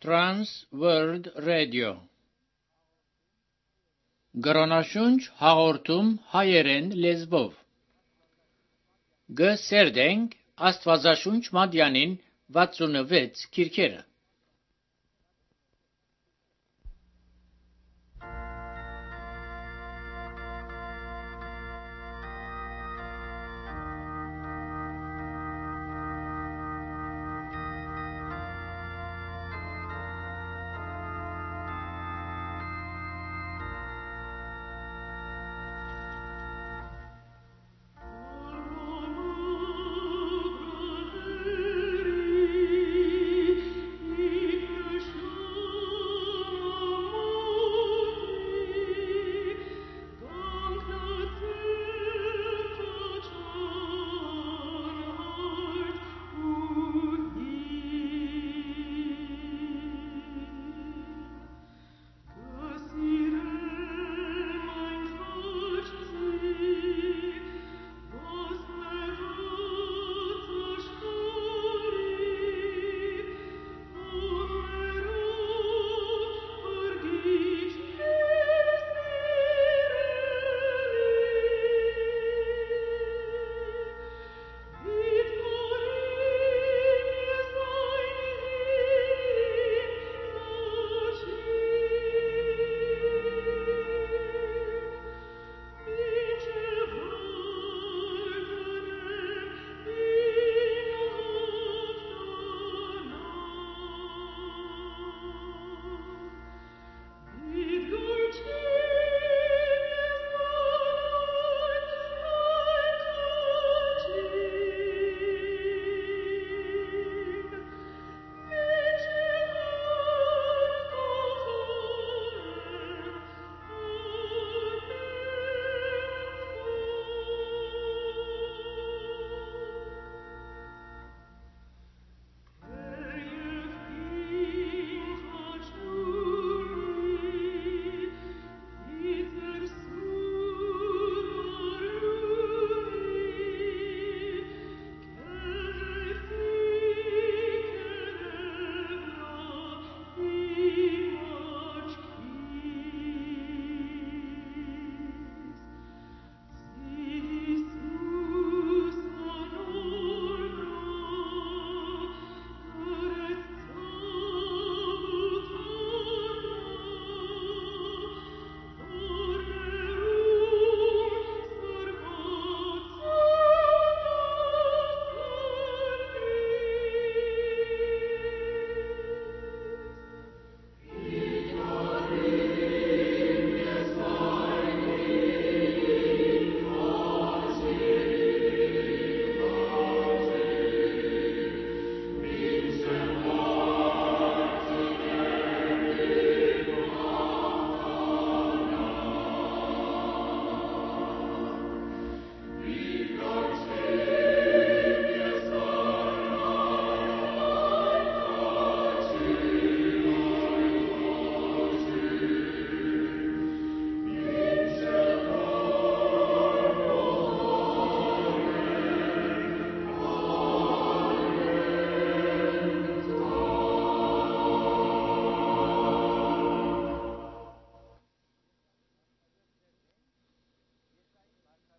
Trans World Radio Գրոնաշունչ հաղորդում հայերեն լեզվով Գսերդենք Աստվածաշունչ Մատյանին 66 քիրքերը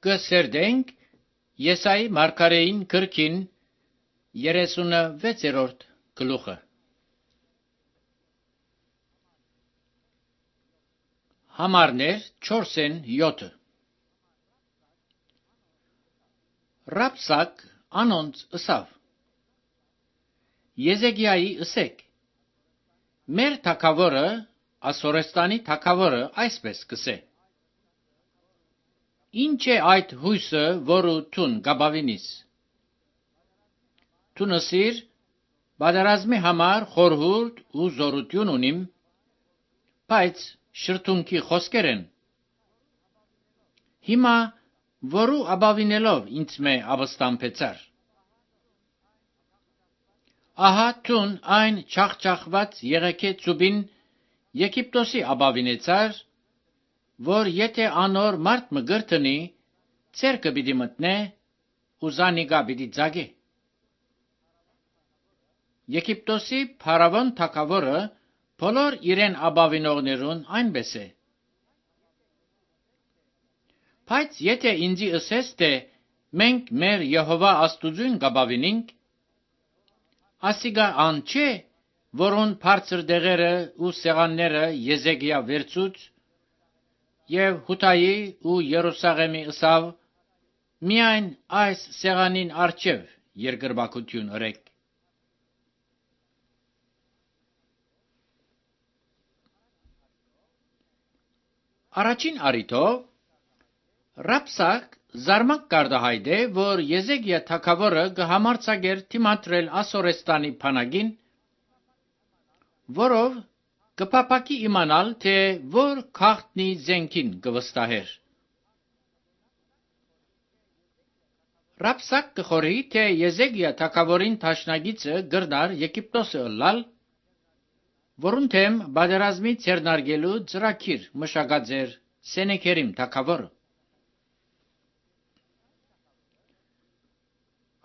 Գսերդենք Եսայի մարգարեին գրքին 36-րդ գլուխը Համարներ 4-7 Ռապսակ անոնց ըսավ Եզեգիայի ըսեք Մեր թագավորը Ասորեստանի թագավորը այսպես կսե Ինչ է այդ հույսը, որու տուն գաբավինիս։ Տունսիր, բادرազմի համար խորհուրդ ու զորություն ունիմ, բայց շրթունքի խոսքեր են։ Հիմա, որու աբավինելով ինձ մե ապստամբեցար։ Ահա տուն այն չախճախված եղեքե ծուբին Եգիպտոսի աբավինեցար, որ եթե անոր մարդ մը գրտնի, ցերկը պիտի մտնե ու զանիգա պիտի ձագե։ Եգիպտոսի փարավոն թագավորը բոլոր իրեն ապավինողներուն այնպես է։ Բայց եթե ինձի ըսես, թե մենք մեր Եհովա Աստուծուն կապավինենք, ասիգա ան չէ, որոն բարձր դեղերը ու սեղանները Եզեկիա վերցուց, եւ Հութայի ու Երուսաղեմի ըսավ, միայն այս սեղանին առջև երկրպագություն ըրեք։ Առաջին արիթով Ռապսակ զարմակ կարտահայտե, որ Եզեկիա թագավորը կհամարձակեր դիմադրել Ասորեստանի բանակին, որով կփափակի իմանալ, թե որ քաղտնի զենքին կվստահեր։ Ռապսակ կխորի, թե Եզեկիա թագավորին տաշնագիծը գրնար Եգիպտոսը ըլլալ, որուն թեմ բادرազմի ցերնարգելու ծրագիր մշակած էր Սենեքերիմ թագավորը։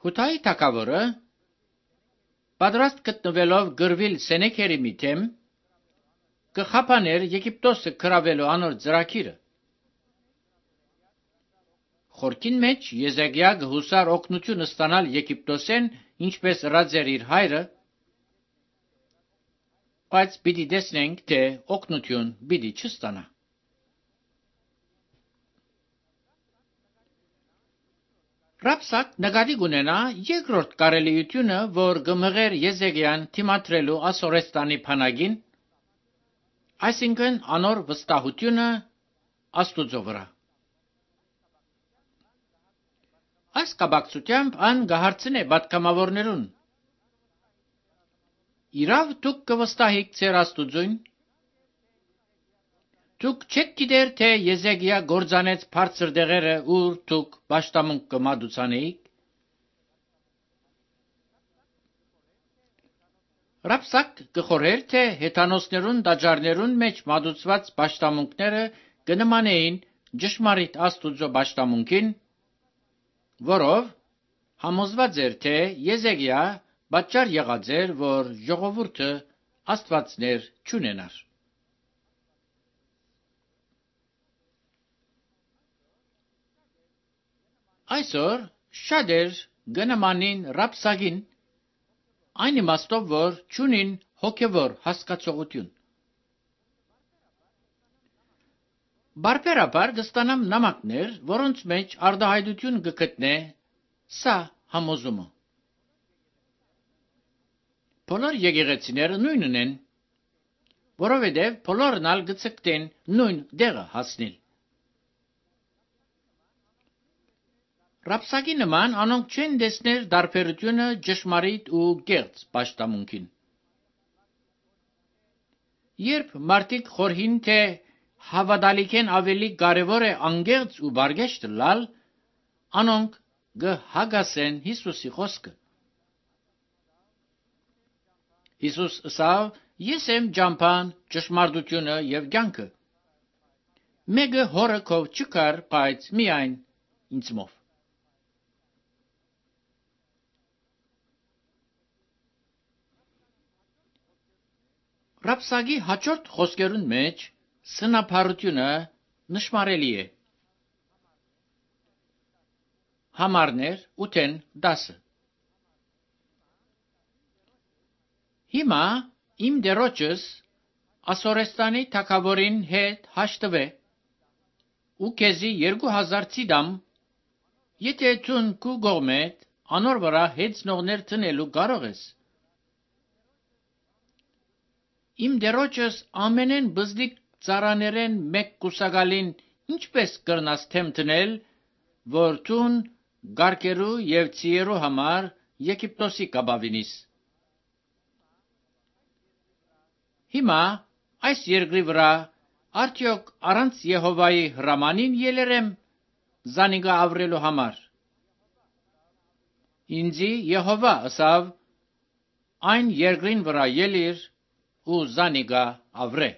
Հութայի թագավորը պատրաստ գտնվելով գրվել Սենեքերիմի թեմ, կխափաներ Եգիպտոսը գրավելու անոր ծրագիրը։ Խորքին մեջ Եզեկիա գհուսար օգնություն ստանալ Եգիպտոսեն, ինչպես ռաձեր իր հայրը, բայց պիտի տեսնենք, թե օգնություն պիտի չստանա։ Ռապսակ նկատի կունենա երկրորդ կարելիությունը, որ գմղեր Եզեկիան դիմադրելու Ասորեստանի բանակին, այսինքն անոր վստահությունը Աստուծո վրա։ Այս կապակցությամբ ան կհարցնե պատգամավորներուն. Իրավ դուք կվստահիք ձեր Աստուծուն։ Դուք չեք գիտեր, թե Եզեկիա գործանեց բարձր դեղերը, ուր դուք պաշտամունք կմատուցանեիք։ Ռապսակ կխորեր, թե հեթանոսներուն տաճարներուն մեջ մատուցված պաշտամունքները կնմանեին ճշմարիտ Աստուծո պաշտամունքին, որով համոզված էր, թե Եզեկիա պատճառ եղած էր, որ ժողովուրդը աստվածներ չունենար։ Այսօր շատեր գնմանին Ռապսակին, այն իմաստով, որ չունին հոգևոր հասկացողություն։ Բարբերաբար կստանամ նամակներ, որոնց մեջ արտահայտություն կգտնե սա համոզումը։ Բոլոր եկեղեցիները նույնն են, որովհետև բոլորն ալ կցկտեն նույն դեղը հասնել։ Ռապսակի նման անոնք չեն տեսներ դարբերությունը ճշմարիտ ու կեղծ պաշտամունքին։ Երբ մարդիկ խորհին, թե հավատալիքեն ավելի կարևոր է անգեղծ ու բարգեշտ լալ, անոնք կհագասեն Հիսուսի խոսքը։ Հիսուս ըսավ. Ես եմ ճամփան, ճշմարտությունը եւ կյանքը։ Մեկը հորը քով չկար, բայց միայն ինձմով։ Ռապսակի հաջորդ խոսքերուն մեջ սնափառությունը նշմարելի է։ Համարներ 8-10 Հիմա իմ դերոջս Ասորեստանի թագավորին հետ հաշտվե ու քեզի 2000 ծիդամ, եթե ցուն քու գողմետ անոր վրա հեծնողներ տնելու կարող ես։ Իմ դերոջս ամենեն բզդիկ ծառաներեն մեկ կուսակալին ինչպես կրնաս թեմ տնել, որ ցուն գարկերու եւ ցիերու համար Եգիպտոսի կապավինիս։ Հիմա այս երկրի վրա արդյոք առանց Եհովայի հրամանին ելերեմ զանիգա ավրելու համար։ Ինձի Եհովա ըսավ. այն երկրին վրա ելիր ու զանիգա ավրե։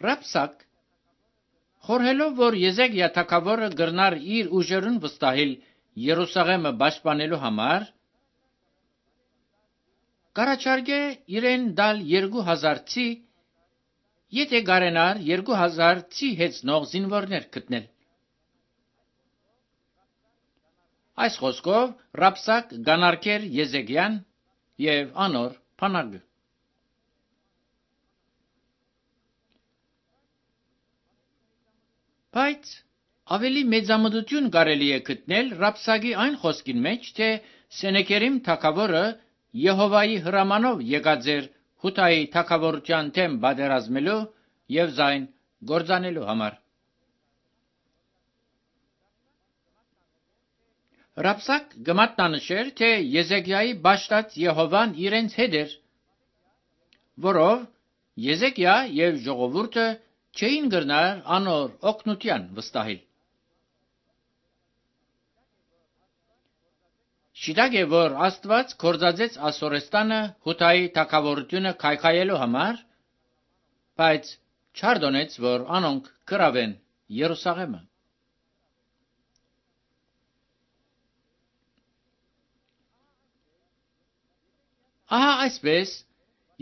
Ռապսակ Խորհելով, որ Եզեկիա թագավորը գրնար իր ուժերուն վստահել Երուսաղեմը պաշտպանելու համար, կառաջարկե իրեն դալ 2000 ցի, եթե գարենար 2000 ցի հեծնող զինվորներ գտնել։ Այս խոսքով Ռաբսակ գանարկեր Եզեկիան եւ անոր փանագը։ Բայց ավելի մեծամտություն կարելի է գտնել Ռաբսակի այն խոսքին մեջ, թե Սենեքերիմ թագավորը Եհովայի հրամանով եկած էր Հութայի թագավորության դեմ պատերազմելու եւ զայն գործանելու համար։ Ռաբսակ գմատնանշեր, թե Եզեկիայի բաշտած Եհովան իրենց հետ էր, որով Եզեկիա եւ ժողովուրդը չէին գրնար անոր օգնության վստահել։ Շիտակ է, որ Աստված կործածեց Ասորեստանը Հութայի թագավորությունը քայքայելու համար, բայց չարդոնեց, որ անոնք գրավեն Երուսաղեմը։ Ահա այսպես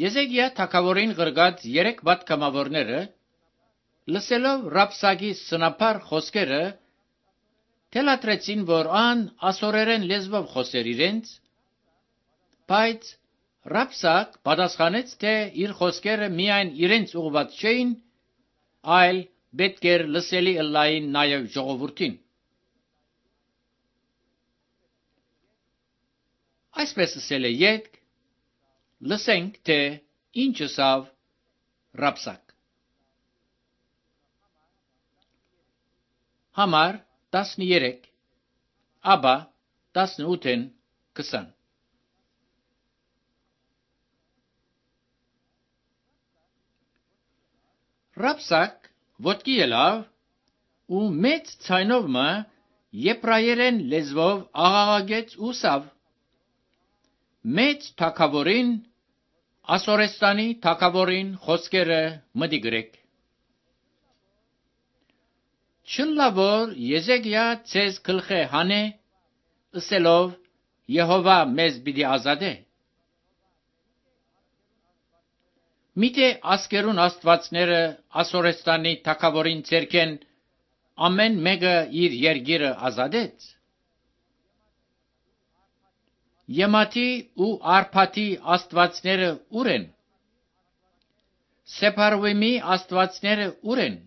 Եզեկիա թագավորին գրգած 3 պատգամավորները, լսելով Ռաբսակի սնապար խոսքերը, թելադրեցին, որ ան ասորերեն լեզվով խոսեր իրենց, բայց Ռաբսակ պատասխանեց, թե իր խոսքերը միայն իրենց ուղղված չէին, այլ պետք էր լսելի ըլլային նաև ժողովրդին։ Այսպես ասել է ետք, լսենք, թե ինչ ասավ Ռաբսակ։ Համար 13, ապա 18-ին 20։ Ռաբսակ ոտքի ելավ ու մեծ ցայնով մը եբրայերեն լեզվով աղաղակեց ու սավ. Մեծ թագավորին, Ասորեստանի թագավորին խոսքերը մտի գրեք։ Չլա որ Եզեկիա ցեզ գլխե հանե, ըսելով Եհովա մեզ պիտի ազատե։ Միթե ասկերուն աստվածները Ասորեստանի թագավորին ցերքեն ամեն մեկը իր երգիրը ազատեց։ Եմաթի ու Արփաթի աստվածները ուր են։ Սեփարվիմի աստվածները ուր են։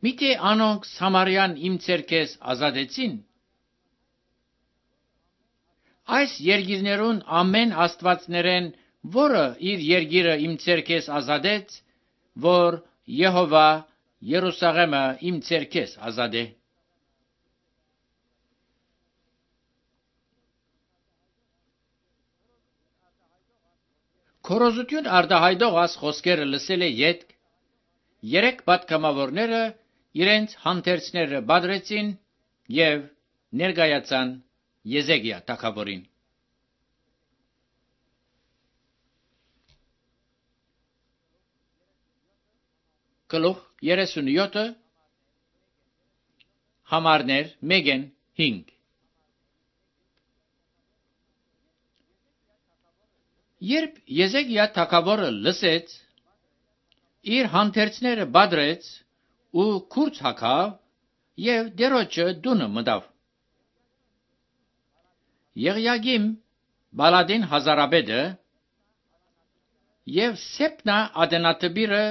Միթե անոնք Սամարյան իմ ցերքես ազատեցին։ Այս երգիրներուն ամեն աստվածներեն, որը իր երգիրը իմ ցերքես ազատեց, որ Եհովա Երուսաղեմը իմ ցերքես ազատե։ Քորոզություն արտահայտող աս խոսքերը լսել է ետք, 3 պատգամավորները իրենց հանդերձները բادرեցին եւ ներկայացան Եզեկիա թագավորին։ Գլուխ 37 համարներ 1-5։ Երբ Եզեկիա թագավորը լսեց, իր հանդերձները բادرեց ու քուրձ հագավ եւ դերոջը դունը մտավ։ Եղիագիմ Բալադին հազարապետը եւ Սեփնա ադենատբիրը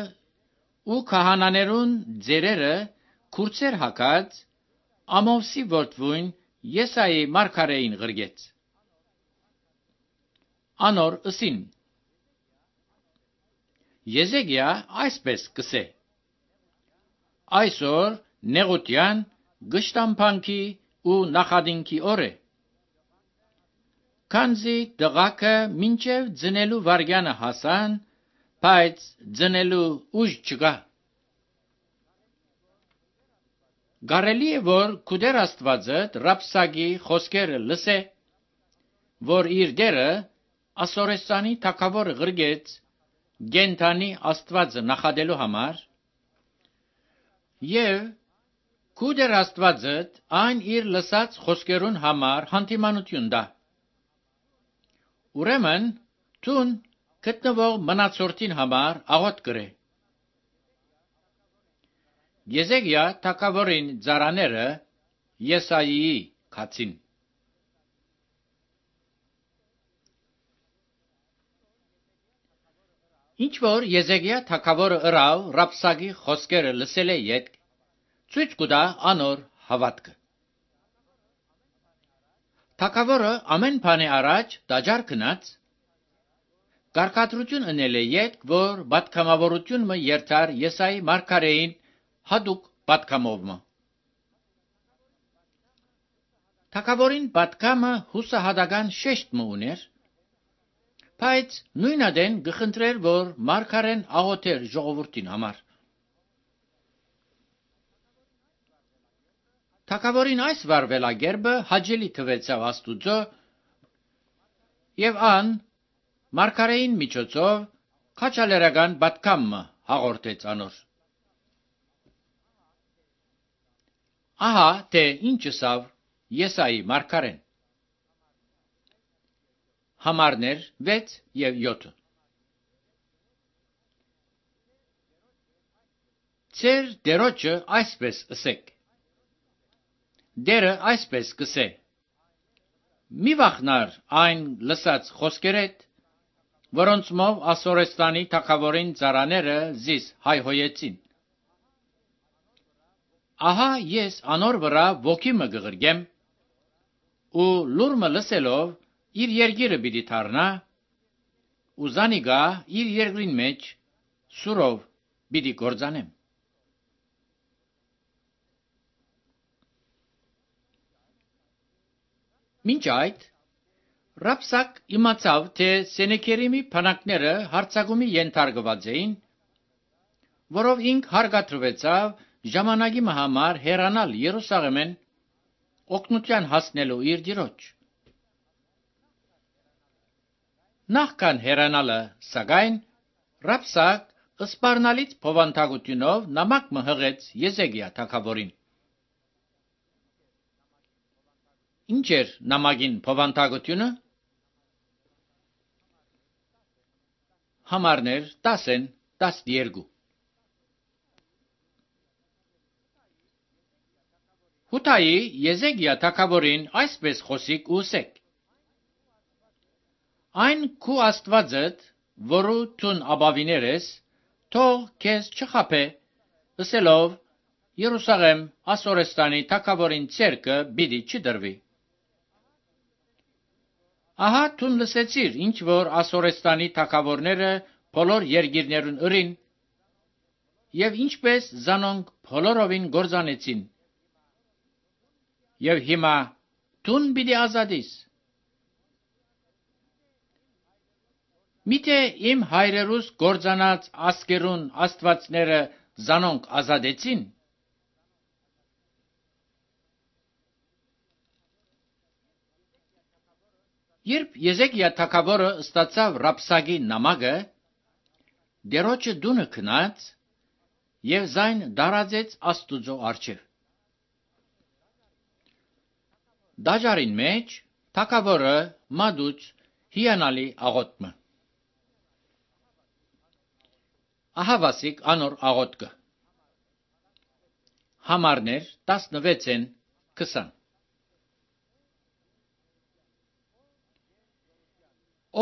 ու քահանաներուն ձերերը քուրձեր հագած Ամովսի որդվույն Եսայի մարգարեին գրգեց։ Անոր ըսին. Եզեկիա այսպես կսե. Այսօր նեղության, գշտամփանքի ու նախադինքի օր է։ Քանզի դղակը մինչև ձնելու վարգյանը հասան, բայց ձնելու ուժ չկա։ Կարելի է, որ քուդեր Աստվածը Ռաբսակի խոսքերը լսե, որ իր դերը Ասորեստանի թագավորը գրգեց գենթանի Աստվածը նախադելու համար, Եվ քու դեր Աստվածդ այն իր լսած խոսքերուն համար հանդիմանություն տա։ Ուրեմն տուն գտնվող մնացորդին համար աղոտ կրե։ Եզեքիա թագավորին ծառաները Եսայիի քացին։ Ինչ որ Եզեքիա թագավորը ըրավ Ռաբսակի խոսքերը լսել է յետ, ցույց կտա անոր հավատքը։ Թագավորը ամեն բանի առաջ դաջար գնաց, կարգադրություն ընել է յետ, որ պատգամավորությունը երթար Եսայի մարգարեին հատուկ պատգամովը։ Թագավորին պատգամը հուսահատական շեշտ ուներ, բայց նույնադեն գխնդրեր, որ մարգարեն աղոթեր ժողովրդին համար։ Թագավորին այս վարվելագերբը հաճելի թվեցավ Աստուծո, եւ ան մարգարեին միջոցով քաջալերական պատգամը հաղորդեց անոր։ Ահա թե ինչ ասավ Եսայի մարգարեն։ Համարներ 6 եւ 7։ Ձեր դերոջը այսպես ասեք. Դերը այսպես կսե. մի վախնար այն լսած խոսքերդ, որոնցմով Ասորեստանի թագավորին ծառաները զիս հայհոյեցին։ Ահա ես անոր վրա ոգի մը գղրգեմ, ու լուրմը լսելով իր երգիրը պիտի թարնա, ու զանիգա իր երգրին մեջ սուրով պիտի գործանեմ։ Մինչ այդ, Ռաբսակ իմացավ, թե Սենեքերիմի բանակները հարձակումի ենթարկված էին, որով ինք հարգադրվեցավ ժամանակի համար հեռանալ Երուսաղեմեն օգնության հասնելու իր դիրոջ։ Նախքան հեռանալը, սակայն, Ռաբսակ ըսպառնալից փոխանցությունով նամակ մը հղեց Եզեքիա թագավորին։ Ինչ էր նամակին փոխանցությունը։ Համարներ 10-12։ Հութայի Եզեքիա թագավորին այսպես խոսիկ ուսեք. Այն քու Աստվածդ, որու տուն ապավիներ ես, թող քեզ չխաբե, ասելով Երուսաղեմ Ասորեստանի թագավորին ցերկը պիտի չդրվի։ Ահա տուն լսեցիր, ինչ որ Ասորեստանի թագավորները բոլոր երկիրներուն ըրին, եւ ինչպես զանոնք բոլորովին գործանեցին։ Եվ հիմա տուն պիտի ազատիս։ Միթե իմ հայրերուս գործանած ասկերուն աստվածները զանոնք ազատեցին։ Երբ Եզեքիա թագավորը ստացավ Ռաբսակի նամակը, դերոջը դունը քնած եւ զայն դարածեց Աստուծո առջև։ Դաջարին մեջ թագավորը մադուց հիանալի աղոթքը։ Ահավասիկ անոր աղոթքը։ Համարներ 16-20։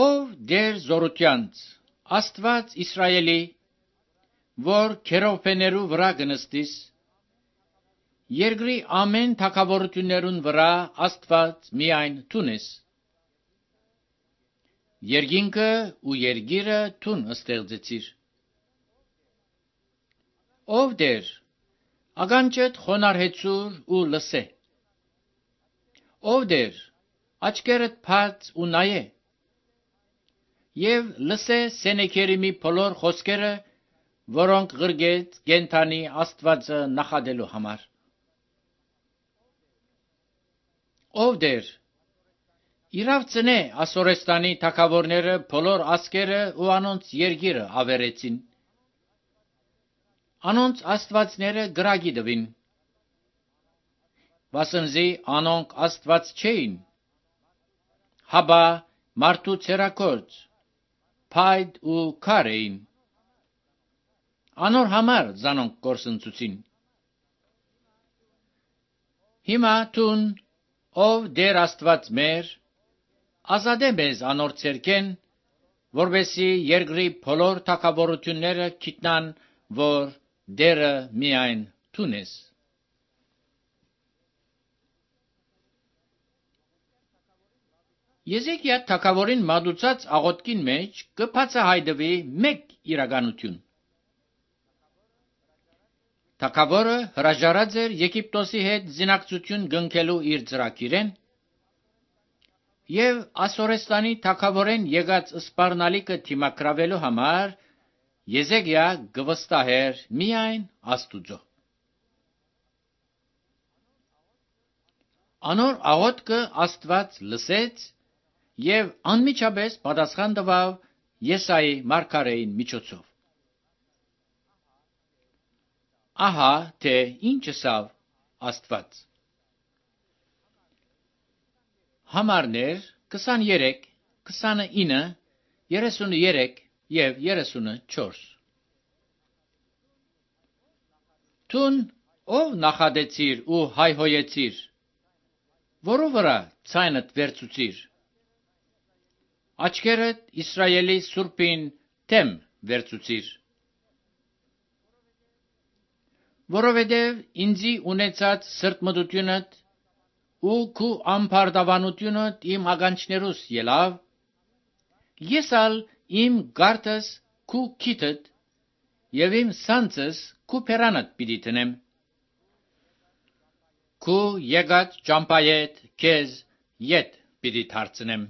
Ով դեր զորությանց Աստված Իսրայելի, որ քերոբեներու վրա գնստիս, երկրի ամեն թագավորություններուն վրա Աստված միայն տունես, երկինքը ու երգիրը տուն ստեղծեցիր։ Ով դեր ագանջդ խոնարհեցուր ու լսե։ Ով դեր աչքերդ բաց ու նայե, եւ լսե Սենեքերիմի բոլոր խոսքերը, որոնք գրգեց գենթանի Աստվածը նախադելու համար։ Ով դեր իրավ ծնե Ասորեստանի թագավորները բոլոր ասկերը ու անոնց երգիրը ավերեցին։ Անոնց աստվածները գրագի դվին, վասնզի անոնք աստված չէին, հաբա մարդու ցերակորց, փայդ ու քար էին, անոր համար զանոնք կորսնցուցին։ Հիմա տուն, ով դեր աստված մեր, ազատե մեզ անոր ցերկեն, որբեսի երկրի բոլոր թագավորությունները գիտնան, որ դերը միայն տուն ես։ Եզեկիա թագավորին մատուցած աղոթքին մեջ կբացահայտվի մեկ իրականություն։ Թագավորը հրաժարած էր Եգիպտոսի հետ զինակցություն գնքելու իր ծրագիրեն, եւ Ասորեստանի թագավորեն եկած սպառնալիքը թիմակրավելու համար Եզեկիա գվստահեր միայն Աստուծո։ Անոր աղոթքը Աստված լսեց եւ անմիջապես պատասխան տվավ Եսայի մարգարեին միջոցով։ Ահա թե ինչ ասավ Աստված։ Համարներ 23, 29, 33 եւ 34։ Տուն ով նախադեցիր ու հայհոյեցիր, որու վրա ցայնդ վերցուցիր, աչքերդ Իսրայելի Սուրբին թեմ վերցուցիր, որովհետև ինձի ունեցած սրտմտությունդ ու քու ամբարտավանությունդ իմ ականջներուս ելավ, ես ալ իմ գարտս քու քիթդ եւ իմ սանձս քու փերանդ պիտի տնեմ, քու եկած ճամփայետ քեզ ետ պիտի դարձնեմ։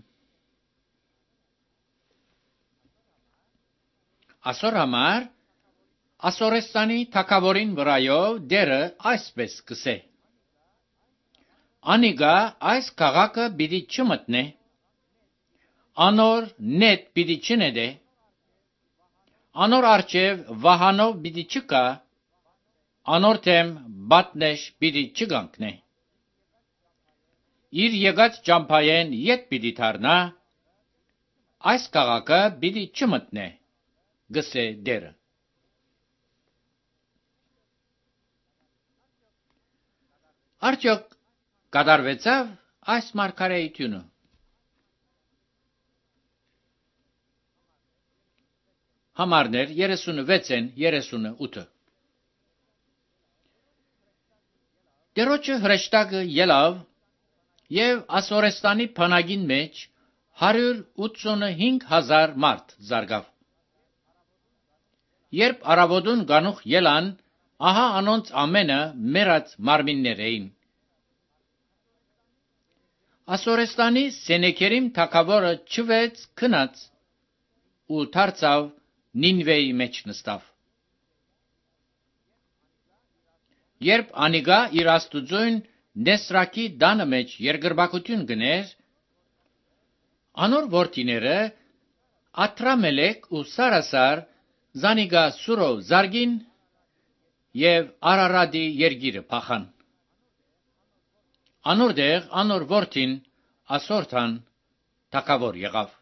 Ասոր համար Ասորեստանի թագավորին վրայով դերը այսպես կսե. Անիգա այս քաղաքը պիտի չմտնե, անոր նետ պիտի չնետե, անոր արջև վահանով պիտի չկա, անոր թեմ բատնեշ պիտի չգանքնե, իր եկած ճամփայեն ետ պիտի դառնա, այս քաղաքը պիտի չմտնե, գսե դերը։ Արդյոք կատարվեցավ այս մարգարեությունը։ Համարներ 36-ն 38։ Տերոջը հրեշտակը ելավ եւ Ասորեստանի բանակին մեջ 185,000 մարդ զարգավ։ Երբ արաբոդուն գանուխ ելան, ահա անոնց ամենը մեռած մարմիններ էին։ Ասորեստանի Սենեքերիմ թագավորը չվեց քնած ու դարձավ Նինվեի մեջ նստավ։ Երբ անիգա իր աստուծոյն Նեսրակի դանը մեջ երկրբակություն գներ, անոր որդիները Աթրամելեկ ու Սարասար զանիգա սուրով զարգին եւ Արարադի երգիրը փախան։ Անոր դեղ անոր որդին Ասորթան թագավոր եղավ։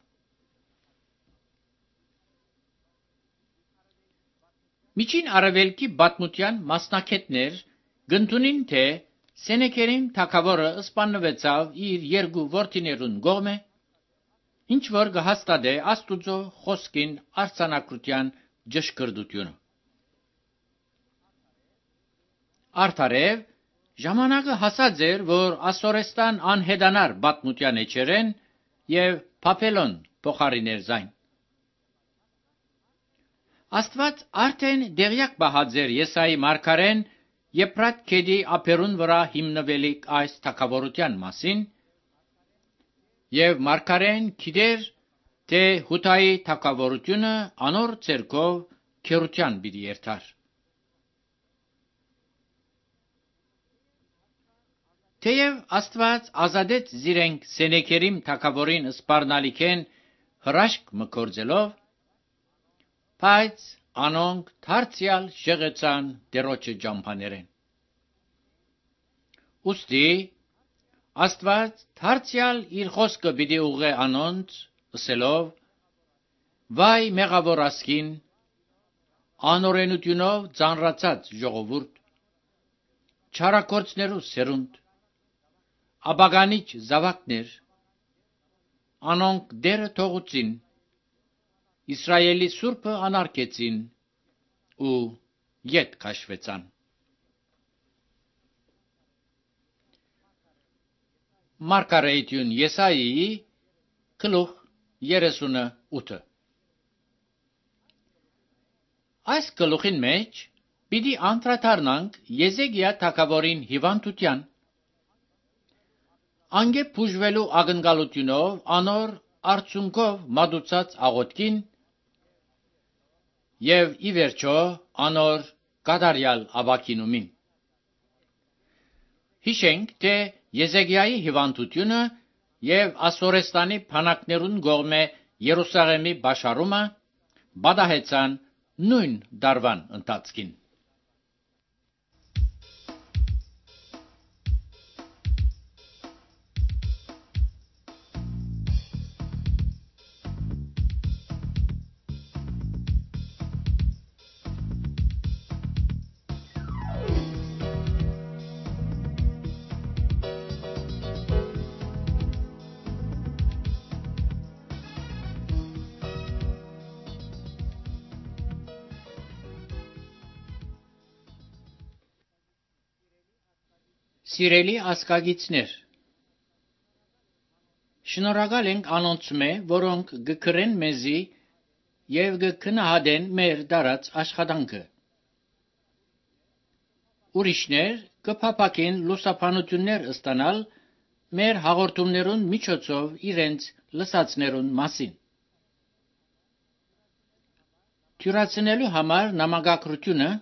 Միջին արևելքի բադմության մասնակետներ գնդունին թե Սենեքերիմ թագավորը սպանվեցավ իր երկու որդիներուն գողմե, ինչ որ կհաստատե Աստուծո խոսքին արձանագրության ճշգրտությունը։ Արդարև ժամանակը հասած էր, որ Ասորեստան անհետանար բադմության էջերեն եւ Բաբելոն փոխարիներ զայն։ Աստված արդեն դեղյակ բահած էր Եսայի մարգարեն Եփրատ գետի ափերուն վրա հիմնվելիք այս թագավորության մասին, եւ մարգարեն գիտեր, թե Հութայի թագավորությունը անոր ցերկով քերության պիտի երթար։ Թեև Աստված ազատեց զիրենք Սենեքերիմ թագավորին սպառնալիքեն հրաշք մկործելով, բայց անոնք դարձյալ շեղեցան դերոջը ջամփաներեն։ Ուստի Աստված դարձյալ իր խոսքը պիտի ուղղե անոնց, ասելով. «Վայ մեղավոր ասկին, անօրենությունով ծանրացած ժողովուրդ, չարագործներու սերունդ, աբագանիչ զավակներ, անոնք դերը թողուցին, Իսրայելի Սուրբը անարգեցին ու ետ քաշվեցան»։ Մարգարեություն Եսայիի գլուխ 38։ Այս գլուխին մեջ պիտի անդրադառնանք Եզեքիա թագավորին հիվանդության, անգե բուժվելու ակնկալությունով անոր արցունքով մատուցած աղոթքին եւ ի վերջո անոր կատարյալ աբակինումին։ Հիշենք, թե Եզեքիայի հիվանդությունը եւ Ասորեստանի բանակներուն կողմէ Երուսաղեմի բաշարումը բադահեցան նույն դարվան ընթացքին։ Սիրելի ասկագիցներ, շնորհակալ ենք անոնցմե, որոնք գկրեն մեզի եւ գքնահատեն մեր դարած աշխատանքը։ Ուրիշներ կփապակեն լուսաբանություններ ստանալ մեր հաղորդումներուն միջոցով իրենց լսածներուն մասին։ Թյուրացնելու համար նամակագրությունը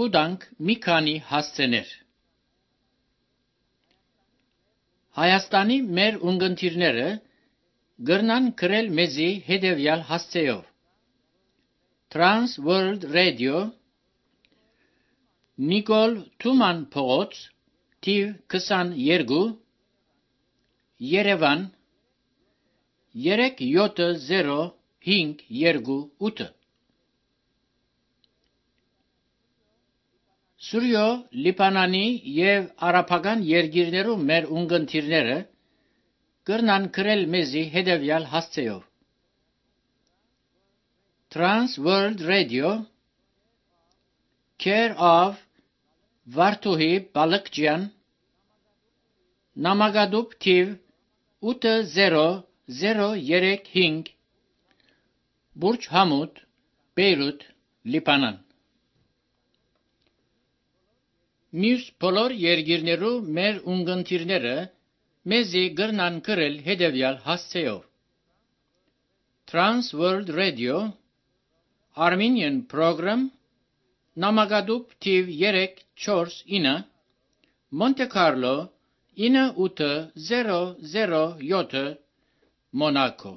կուտանք մի քանի հասցեներ։ Հայաստանի մեր ունգընտիրները գրնան գրել մեզի հետևյալ հասցեով. Trans World Radio, Նիկոլ Թուման փողոց, թիվ 22, Երևան 37058։ Սուրյո Լիբանանի եւ արաբական երկիրներու մեր ունգընտիրները գրնան գրել մեզի հետևյալ հասցեով. Trans World Radio, Care of Վարդուհի Բալկջյան, Նամակադուբ թիվ 80035, Բուրջ Համուդ, Բեյրութ, Լիբանան։ Մյուս բոլոր երկիրներու մեր ունգընտիրները մեզի գրնան գրել հետևյալ հասցեով. Trans World Radio, Armenian Program, Նամակադուբ թիվ 349, Monte Carlo 9807, Monaco։